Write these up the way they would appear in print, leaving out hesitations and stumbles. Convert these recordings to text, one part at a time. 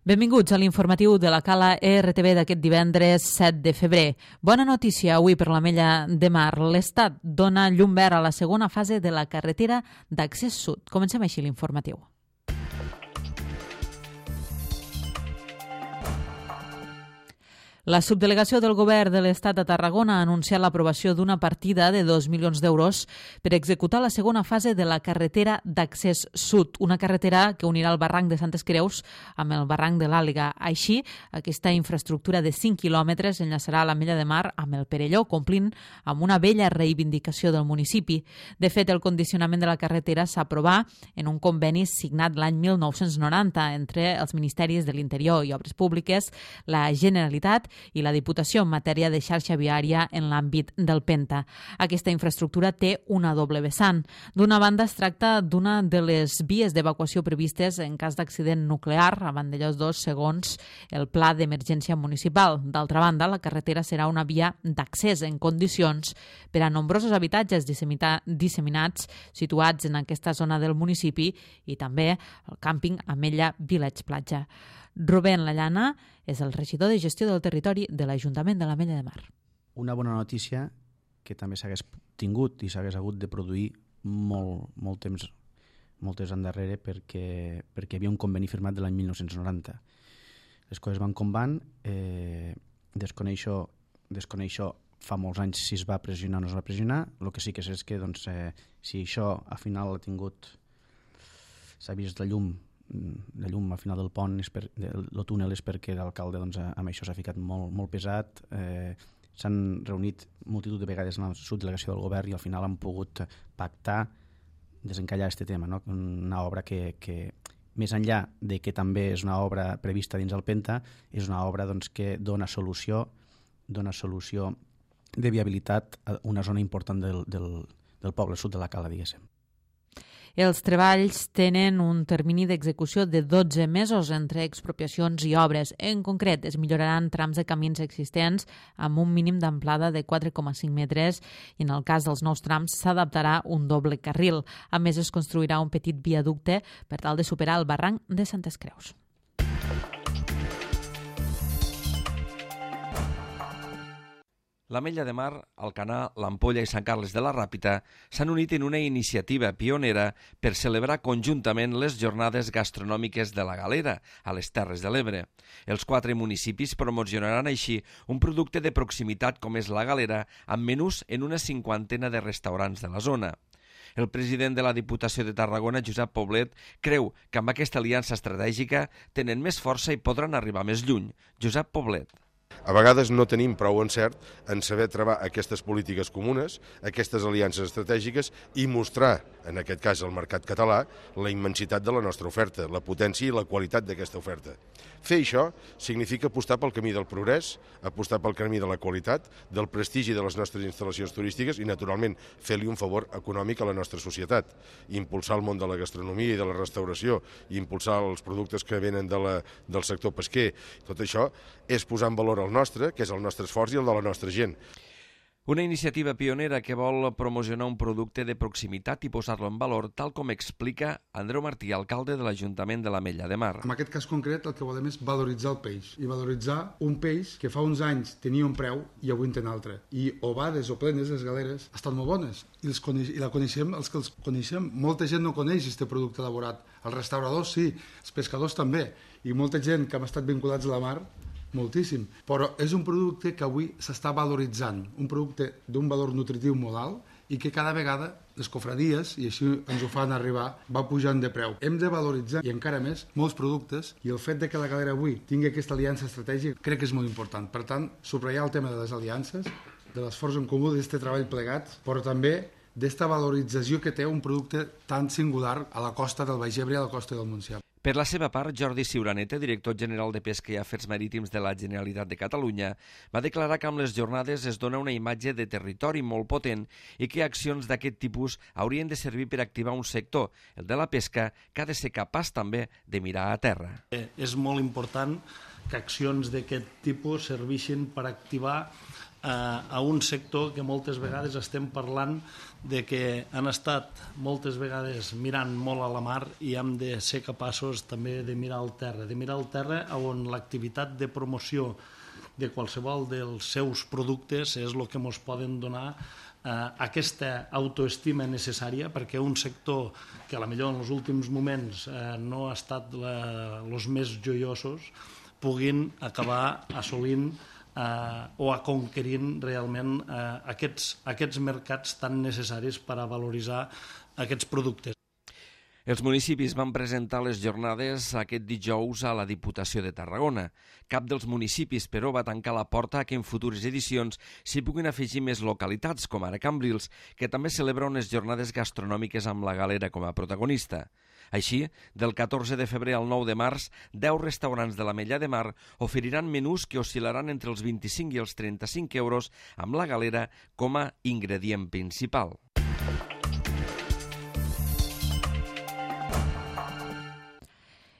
Benvinguts a l'informatiu de la Cala RTV d'aquest divendres 7 de febrer. Bona notícia avui per l'Ametlla de Mar. L'Estat dona llum verd a la segona fase de la carretera d'accés sud. Comencem així l'informatiu. La subdelegació del Govern de l'Estat de Tarragona ha anunciat l'aprovació d'una partida de 2 milions d'euros per executar la segona fase de la carretera d'accés sud, una carretera que unirà el barranc de Santes Creus amb el barranc de l'Àliga. Així, aquesta infraestructura de 5 quilòmetres enllaçarà l'Ametlla de Mar amb el Perelló, complint amb una vella reivindicació del municipi. De fet, el condicionament de la carretera s'aprovà en un conveni signat l'any 1990 entre els Ministeris de l'Interior i Obres Públiques, la Generalitat i la Diputació en matèria de xarxa viària en l'àmbit del Penta. Aquesta infraestructura té una doble vessant. D'una banda, es tracta d'una de les vies d'evacuació previstes en cas d'accident nuclear a Vandellòs 2, segons el Pla d'Emergència Municipal. D'altra banda, la carretera serà una via d'accés en condicions per a nombrosos habitatges disseminats situats en aquesta zona del municipi i també el càmping Ametlla Village Platja. Rubén Lallana és el regidor de gestió del territori de l'Ajuntament de l'Ametlla de Mar. Una bona notícia que també s'hagués tingut i s'hagués hagut de produir molt temps endarrere perquè hi havia un conveni firmat de l'any 1990. Les coses van com van, desconeixo fa molts anys si es va pressionar o no es va pressionar. El que sí que sé és que si això al final s'ha vist la llum al final del pont, el túnel, és perquè l'alcalde amb això s'ha ficat molt pesat. S'han reunit multitud de vegades en la subdelegació del govern i al final han pogut pactar desencallar aquest tema, no? Una obra que més enllà de que també és una obra prevista dins el Penta, és una obra que dona solució de viabilitat a una zona important del poble sud de la Cala, diguéssim. Els treballs tenen un termini d'execució de 12 mesos entre expropiacions i obres. En concret, es milloraran trams de camins existents amb un mínim d'amplada de 4,5 metres i en el cas dels nous trams s'adaptarà un doble carril. A més, es construirà un petit viaducte per tal de superar el barranc de Santes Creus. L'Ametlla de Mar, Alcanar, l'Ampolla i Sant Carles de la Ràpita s'han unit en una iniciativa pionera per celebrar conjuntament les jornades gastronòmiques de la Galera, a les Terres de l'Ebre. Els 4 municipis promocionaran així un producte de proximitat com és la Galera, amb menús en una 50ena de restaurants de la zona. El president de la Diputació de Tarragona, Josep Poblet, creu que amb aquesta aliança estratègica tenen més força i podran arribar més lluny. Josep Poblet. A vegades no tenim prou encert en saber treballar aquestes polítiques comunes, aquestes aliances estratègiques i mostrar, en aquest cas al mercat català, la immensitat de la nostra oferta, la potència i la qualitat d'aquesta oferta. Fer això significa apostar pel camí del progrés, apostar pel camí de la qualitat, del prestigi de les nostres instal·lacions turístiques i, naturalment, fer-li un favor econòmic a la nostra societat. Impulsar el món de la gastronomia i de la restauració, i impulsar els productes que venen del sector pesquer. Tot això és posar en valor el nostre, que és el nostre esforç i el de la nostra gent. Una iniciativa pionera que vol promocionar un producte de proximitat i posar-lo en valor, tal com explica Andreu Martí, alcalde de l'Ajuntament de l'Ametlla de Mar. En aquest cas concret el que volem és valoritzar el peix, i valoritzar un peix que fa uns anys tenia un preu i avui en té un altre. I ovades o plenes, les galeres, estan molt bones i la coneixem, els que els coneixem. Molta gent no coneix aquest producte elaborat. Els restauradors sí, els pescadors també, i molta gent que hem estat vinculats a la mar, moltíssim, però és un producte que avui s'està valoritzant, un producte d'un valor nutritiu molt alt i que cada vegada les cofradies, i així ens ho fan arribar, va pujant de preu. Hem de valoritzar, i encara més, molts productes, i el fet de que la Galera avui tingui aquesta aliança estratègica crec que és molt important. Per tant, subratllar el tema de les aliances, de l'esforç en comú, d'aquest treball plegat, però també d'esta valorització que té un producte tan singular a la costa del Baix Ebre i a la costa del Montsià. Per la seva part, Jordi Ciuraneta, director general de Pesca i Afers Marítims de la Generalitat de Catalunya, va declarar que amb les jornades es dona una imatge de territori molt potent i que accions d'aquest tipus haurien de servir per activar un sector, el de la pesca, que ha de ser capaç també de mirar a terra. És molt important que accions d'aquest tipus serveixin per activar a un sector que moltes vegades estem parlant de que han estat moltes vegades mirant molt a la mar i hem de ser capaços també de mirar al terra on l'activitat de promoció de qualsevol dels seus productes és el que ens poden donar aquesta autoestima necessària perquè un sector que potser en els últims moments no ha estat els més joiosos puguin acabar assolint o a conquerint realment aquests mercats tan necessaris per a valoritzar aquests productes. Els municipis van presentar les jornades aquest dijous a la Diputació de Tarragona. Cap dels municipis, però, va tancar la porta a que en futures edicions s'hi puguin afegir més localitats, com ara Cambrils, que també celebra unes jornades gastronòmiques amb la Galera com a protagonista. Així, del 14 de febrer al 9 de març, 10 restaurants de l'Ametlla de Mar oferiran menús que oscil·laran entre els 25 i els 35 euros amb la Galera com a ingredient principal.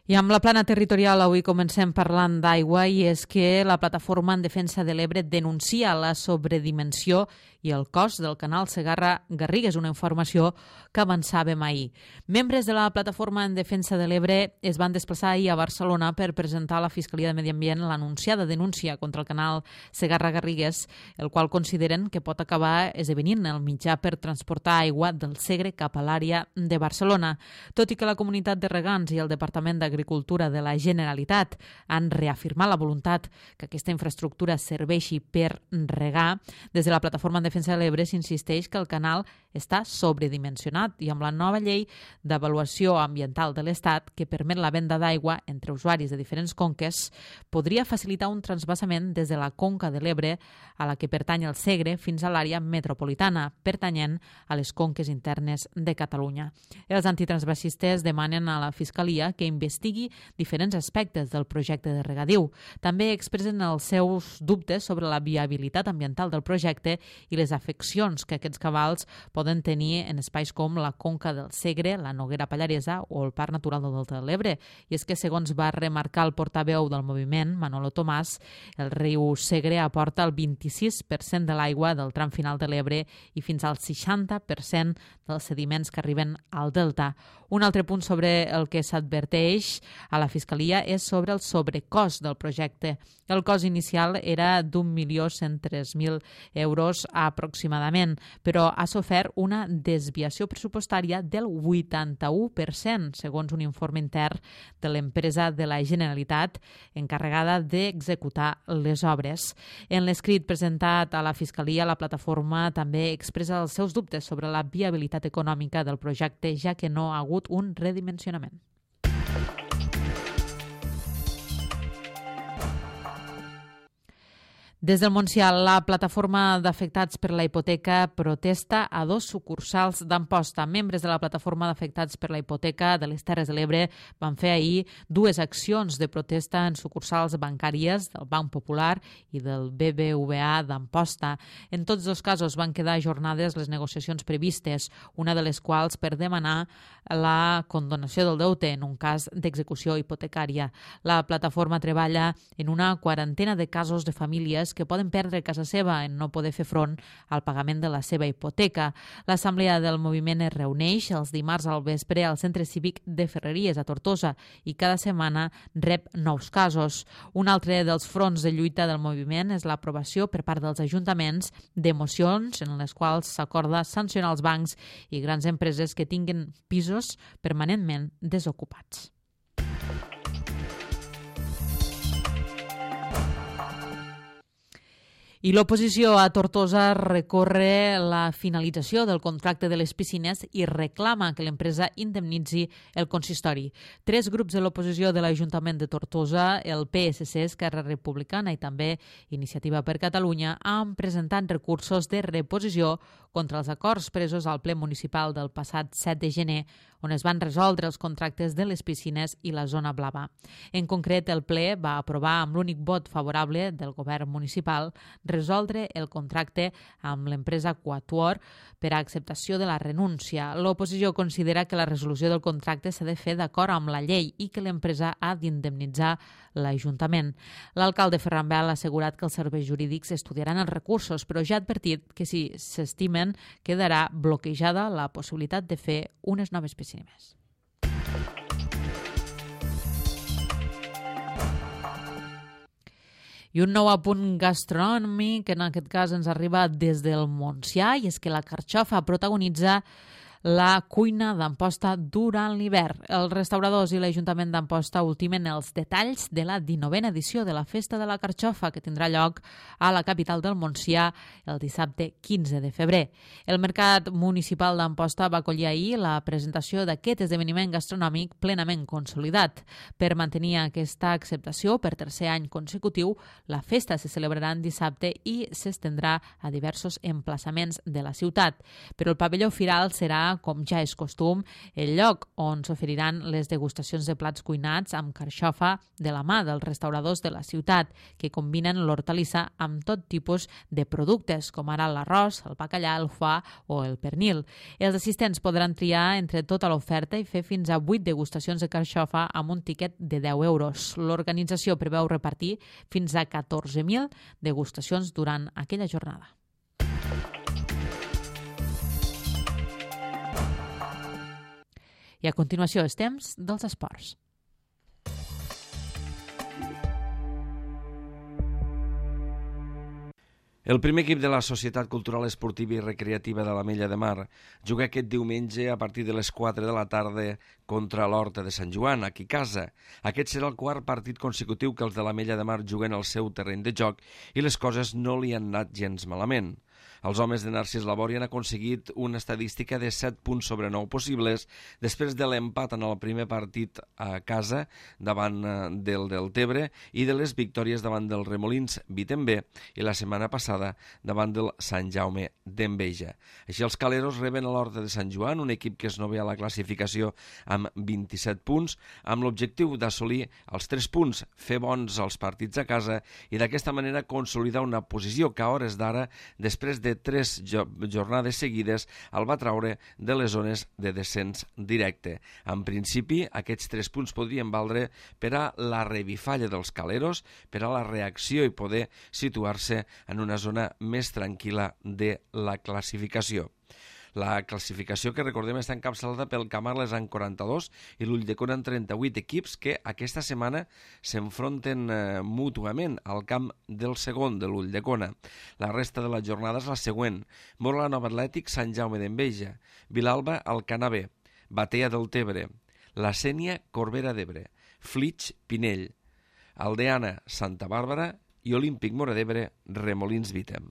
I amb la plana territorial avui comencem parlant d'aigua i és que la Plataforma en Defensa de l'Ebre denuncia la sobredimensió i el cost del canal Segarra-Garrigues, una informació que avançàvem ahir. Membres de la Plataforma en Defensa de l'Ebre es van desplaçar ahir a Barcelona per presentar a la Fiscalia de Medi Ambient l'anunciada denúncia contra el canal Segarra-Garrigues, el qual consideren que pot acabar esdevenint el mitjà per transportar aigua del Segre cap a l'àrea de Barcelona. Tot i que la comunitat de regants i el Departament d'Agricultura de la Generalitat han reafirmat la voluntat que aquesta infraestructura serveixi per regar, des de la Plataforma en Defensa de l'Ebre s'insisteix que el canal està sobredimensionat i amb la nova llei d'avaluació ambiental de l'Estat que permet la venda d'aigua entre usuaris de diferents conques podria facilitar un transvasament des de la conca de l'Ebre a la que pertany el Segre fins a l'àrea metropolitana, pertanyent a les conques internes de Catalunya. Els antitransvasistes demanen a la Fiscalia que investigui diferents aspectes del projecte de regadiu. També expressen els seus dubtes sobre la viabilitat ambiental del projecte i les afeccions que aquests cabals poden tenir en espais com la conca del Segre, la Noguera Pallaresa o el Parc Natural del Delta de l'Ebre. I és que, segons va remarcar el portaveu del moviment, Manolo Tomàs, el riu Segre aporta el 26% de l'aigua del tram final de l'Ebre i fins al 60% dels sediments que arriben al delta. Un altre punt sobre el que s'adverteix a la Fiscalia és sobre el sobrecost del projecte. El cost inicial era d'1.103.000 euros aproximadament, però ha sofert una desviació pressupostària del 81%, segons un informe intern de l'empresa de la Generalitat encarregada d'executar les obres. En l'escrit presentat a la Fiscalia, la plataforma també expressa els seus dubtes sobre la viabilitat econòmica del projecte, ja que no ha hagut un redimensionament. Des del Montsià, la plataforma d'afectats per la hipoteca protesta a 2 sucursals d'Amposta. Membres de la plataforma d'afectats per la hipoteca de les Terres de l'Ebre van fer ahir 2 accions de protesta en sucursals bancàries del Banc Popular i del BBVA d'Amposta. En tots 2 casos van quedar ajornades les negociacions previstes, una de les quals per demanar la condonació del deute en un cas d'execució hipotecària. La plataforma treballa en una quarantena de casos de famílies que poden perdre casa seva en no poder fer front al pagament de la seva hipoteca. L'assemblea del moviment es reuneix els dimarts al vespre al Centre Cívic de Ferreries a Tortosa i cada setmana rep nous casos. Un altre dels fronts de lluita del moviment és l'aprovació per part dels ajuntaments de mocions en les quals s'acorda sancionar els bancs i grans empreses que tinguin pisos permanentment desocupats. I l'oposició a Tortosa recorre la finalització del contracte de les piscines i reclama que l'empresa indemnitzi el consistori. 3 grups de l'oposició de l'Ajuntament de Tortosa, el PSC, Esquerra Republicana i també Iniciativa per Catalunya, han presentat recursos de reposició contra els acords presos al ple municipal del passat 7 de gener, on es van resoldre els contractes de les piscines i la zona blava. En concret, el ple va aprovar amb l'únic vot favorable del govern municipal resoldre el contracte amb l'empresa Quatuor per a acceptació de la renúncia. L'oposició considera que la resolució del contracte s'ha de fer d'acord amb la llei i que l'empresa ha d'indemnitzar l'Ajuntament. L'alcalde Ferran Bel ha assegurat que els serveis jurídics estudiaran els recursos, però ja ha advertit que si s'estimen quedarà bloquejada la possibilitat de fer unes noves piscines. I un nou apunt gastronòmic, que en aquest cas ens arriba des del Montsià, i és que la carxofa protagonitza la cuina d'Amposta durant l'hivern. Els restauradors i l'Ajuntament d'Amposta ultimen els detalls de la 19a edició de la Festa de la Carxofa, que tindrà lloc a la capital del Montsià el dissabte 15 de febrer. El Mercat Municipal d'Amposta va acollir ahir la presentació d'aquest esdeveniment gastronòmic plenament consolidat. Per mantenir aquesta acceptació per tercer any consecutiu, la festa se celebrarà en dissabte i s'estendrà a diversos emplaçaments de la ciutat. Però el pavelló firal serà, com ja és costum, el lloc on s'oferiran les degustacions de plats cuinats amb carxofa de la mà dels restauradors de la ciutat, que combinen l'hortalissa amb tot tipus de productes, com ara l'arròs, el bacallà, el foie o el pernil. Els assistents podran triar entre tota l'oferta i fer fins a 8 degustacions de carxofa amb un tiquet de 10 euros. L'organització preveu repartir fins a 14.000 degustacions durant aquella jornada. I a continuació és temps dels esports. El primer equip de la Societat Cultural Esportiva i Recreativa de l'Ametlla de Mar juga aquest diumenge a partir de les 4 de la tarda contra l'Horta de Sant Joan, aquí a casa. Aquest serà el quart partit consecutiu que els de l'Ametlla de Mar juguen al seu terreny de joc i les coses no li han anat gens malament. Els homes de Narcís Labori han aconseguit una estadística de 7 punts sobre 9 possibles després de l'empat en el primer partit a casa davant del Deltebre i de les victòries davant del Remolins Vitember i la setmana passada davant del Sant Jaume d'Enveja. Així els caleros reben a l'Horta de Sant Joan, un equip que es nové a la classificació amb 27 punts, amb l'objectiu d'assolir els 3 punts, fer bons els partits a casa i d'aquesta manera consolidar una posició que a hores d'ara, després de 3 jornades seguides, el va traure de les zones de descens directe. En principi, aquests 3 punts podrien valdre per a la revifalla dels caleros, per a la reacció i poder situar-se en una zona més tranquil·la de la classificació. La classificació, que recordem, està encapçalada pel Camarles en 42 i l'Ulldecona en 38 equips que aquesta setmana s'enfronten mútuament al camp del segon, de l'Ulldecona. La resta de la jornada és la següent: Mora Nova Atlètic, Sant Jaume d'Enveja; Vilalba, Alcanabé; Batea del Tebre; La Sénia, Corbera d'Ebre; Flix, Pinell; Aldeana, Santa Bàrbara i Olímpic Móra d'Ebre, Remolins Vitem.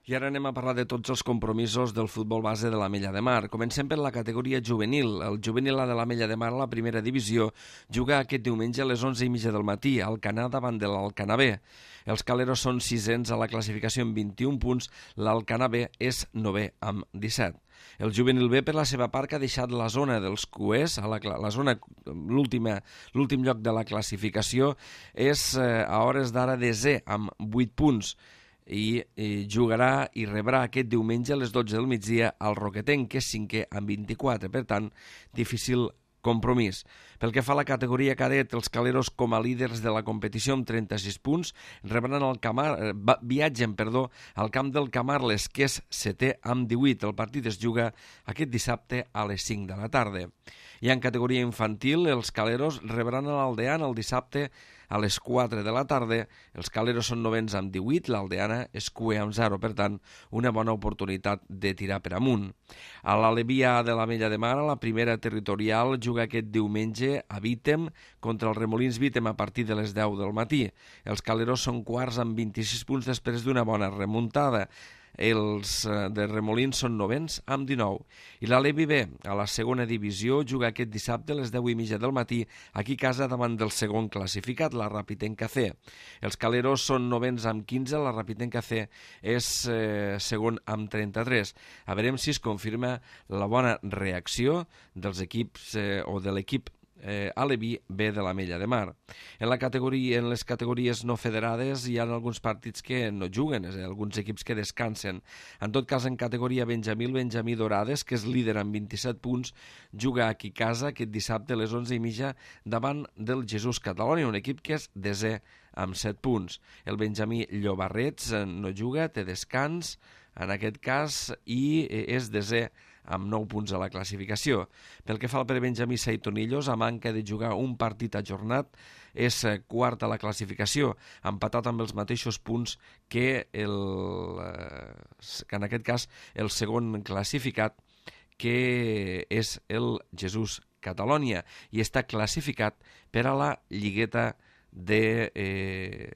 I ara anem a parlar de tots els compromisos del futbol base de l'Ametlla de Mar. Comencem per la categoria juvenil. El juvenil A de l'Ametlla de Mar, a la primera divisió, juga aquest diumenge a les 11:30 del matí al Canà davant de l'Alcanabé. Els caleros són sisens a la classificació amb 21 punts, l'Alcanabé és 9è amb 17. El juvenil B, per la seva part, que ha deixat la zona dels cuers, la zona, l'últim lloc de la classificació, és a hores d'ara 10è amb 8 punts. I jugarà i rebrà aquest diumenge a les 12 del migdia al Roquetenc, que és 5è amb 24, per tant, difícil compromís. Pel que fa a la categoria cadet, els caleros, com a líders de la competició amb 36 punts, viatgen al camp del Camarles, que és 7è amb 18. El partit es juga aquest dissabte a les 5 de la tarda. I en categoria infantil, els caleros rebran a l'Aldeana el dissabte a les 4 de la tarda. Els caleros són 9ens amb 18, l'Aldeana és cuer amb 0, per tant, una bona oportunitat de tirar per amunt. A l'Alevia de l'Ametlla de Mar, la primera territorial, juga aquest diumenge a Vitem contra els Remolins Vitem a partir de les 10 del matí. Els caleros són quarts amb 26 punts després d'una bona remuntada. Els de Remolins són 9ens amb 19. I l'Alevi B, a la segona divisió, juga aquest dissabte a les 10:30 del matí aquí a casa davant del segon classificat, la Rapitenca C. Els caleros són 9ens amb 15, la Rapitenca C és segon amb 33. A veurem si es confirma la bona reacció dels equips o de l'equip Aleví B de l'Ametlla de Mar. En les categories no federades hi ha alguns partits que no juguen, és a dir, alguns equips que descansen. En tot cas, en categoria Benjamí, el Benjamí Dorades, que és líder amb 27 punts, juga aquí a casa aquest dissabte a les 11:30 davant del Jesús Catalonia, un equip que és desè amb 7 punts. El Benjamí Llobarrets no juga, té descans en aquest cas i és desè amb 9 punts a la classificació. Pel que fa al prebenjamí Seitonillos, a manca de jugar un partit ajornat, és quart a la classificació, empatat amb els mateixos punts que en aquest cas el segon classificat, que és el Jesús Catalonia, i està classificat per a la lligueta de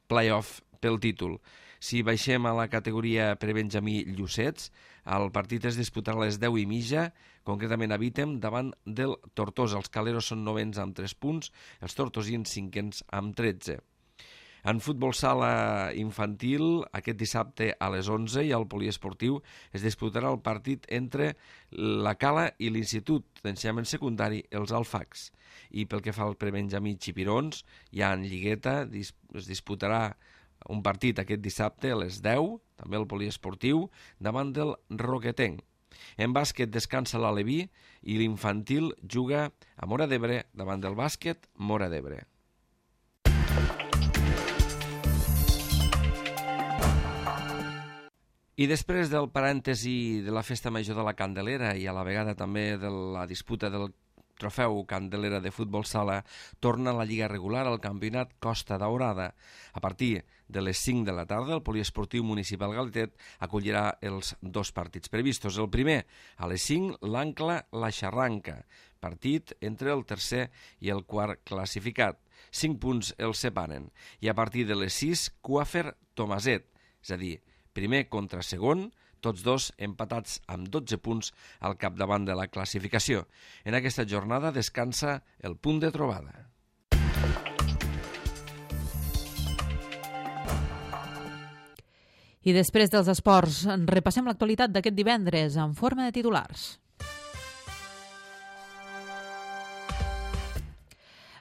play-off pel títol. Si baixem a la categoria prebenjamí Llucets, el partit es disputarà a les 10:30, concretament a Vítem, davant del Tortosa. Els caleros són novens amb 3 punts, els tortosins cinquens amb 13. En futbol sala infantil, aquest dissabte a les 11 i al poliesportiu es disputarà el partit entre la Cala i l'Institut d'Ensenyament Secundari, els Alfacs. I pel que fa al prebenjamí Xipirons, ja en lligueta es disputarà un partit aquest dissabte a les 10, també el poliesportiu, davant del Roquetenc. En bàsquet descansa l'Aleví i l'infantil juga a Móra d'Ebre davant del bàsquet Móra d'Ebre. I després del parèntesi de la Festa Major de la Candelera i a la vegada també de la disputa del Trofeu Candelera de futbol sala, torna a la lliga regular al campionat Costa Daurada. A partir de les 5 de la tarda, el poliesportiu municipal Galtet acollirà els 2 partits previstos. El primer, a les 5, l'Ancla-La Xarranca, partit entre el tercer i el quart classificat. 5 punts els separen. I a partir de les 6, Coafer-Tomaset, és a dir, primer contra segon, tots dos empatats amb 12 punts al capdavant de la classificació. En aquesta jornada descansa el punt de trobada. I després dels esports, repassem l'actualitat d'aquest divendres en forma de titulars.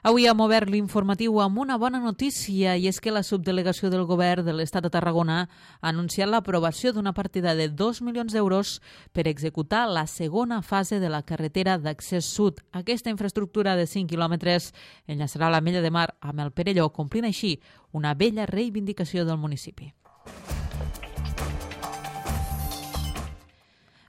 Avui hem obert l'informatiu amb una bona notícia, i és que la subdelegació del govern de l'Estat de Tarragona ha anunciat l'aprovació d'una partida de 2 milions d'euros per executar la segona fase de la carretera d'accés sud. Aquesta infraestructura de 5 quilòmetres enllaçarà l'Ametlla de Mar amb el Perelló, complint així una vella reivindicació del municipi.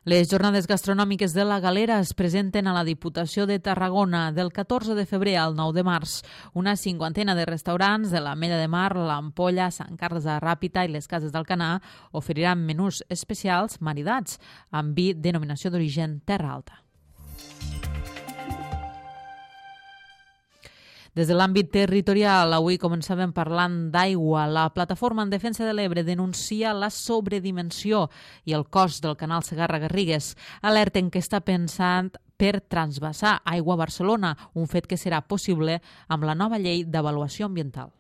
Les jornades gastronòmiques de la Galera es presenten a la Diputació de Tarragona del 14 de febrer al 9 de març. Una 50ena de restaurants de l'Ametlla de Mar, l'Ampolla, Sant Carles de la Ràpita i les Cases d'Alcanar oferiran menús especials maridats amb vi denominació d'origen Terra Alta. Des de l'àmbit territorial, avui començàvem parlant d'aigua. La Plataforma en Defensa de l'Ebre denuncia la sobredimensió i el cost del canal Segarra-Garrigues. Alerten que està pensant per transvasar aigua a Barcelona, un fet que serà possible amb la nova llei d'avaluació ambiental.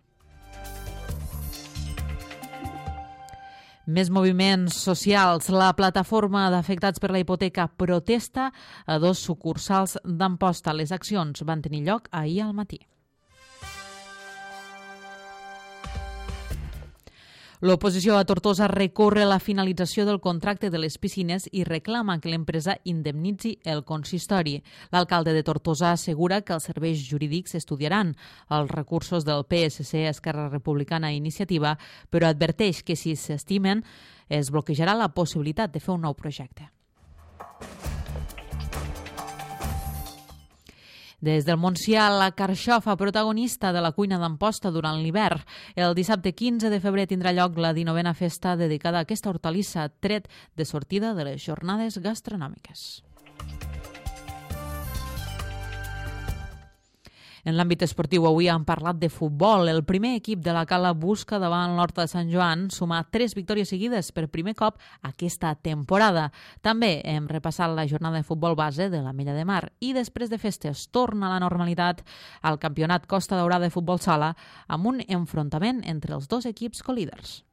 Més moviments socials. La plataforma d'afectats per la hipoteca protesta a 2 sucursals d'Amposta. Les accions van tenir lloc ahir al matí. L'oposició a Tortosa recorre la finalització del contracte de les piscines i reclama que l'empresa indemnitzi el consistori. L'alcalde de Tortosa assegura que els serveis jurídics estudiaran els recursos del PSC, Esquerra Republicana i Iniciativa, però adverteix que si s'estimen es bloquejarà la possibilitat de fer un nou projecte. Des del Montsià, la carxofa protagonista de la cuina d'Amposta durant l'hivern. El dissabte 15 de febrer tindrà lloc la 19a festa dedicada a aquesta hortalissa, tret de sortida de les jornades gastronòmiques. En l'àmbit esportiu, avui hem parlat de futbol. El primer equip de la Cala busca davant l'Horta de Sant Joan sumar 3 victòries seguides per primer cop aquesta temporada. També hem repassat la jornada de futbol base de l'Ametlla de Mar i després de festes torna a la normalitat al campionat Costa Daurada de futbol sala amb un enfrontament entre els 2 equips colíders.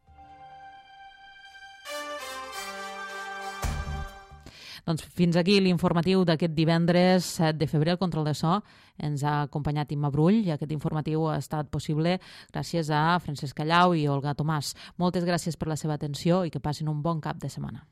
Doncs fins aquí l'informatiu d'aquest divendres 7 de febrer. El control de so ens ha acompanyat Imma Brull i aquest informatiu ha estat possible gràcies a Francesc Callau i Olga Tomàs. Moltes gràcies per la seva atenció i que passin un bon cap de setmana.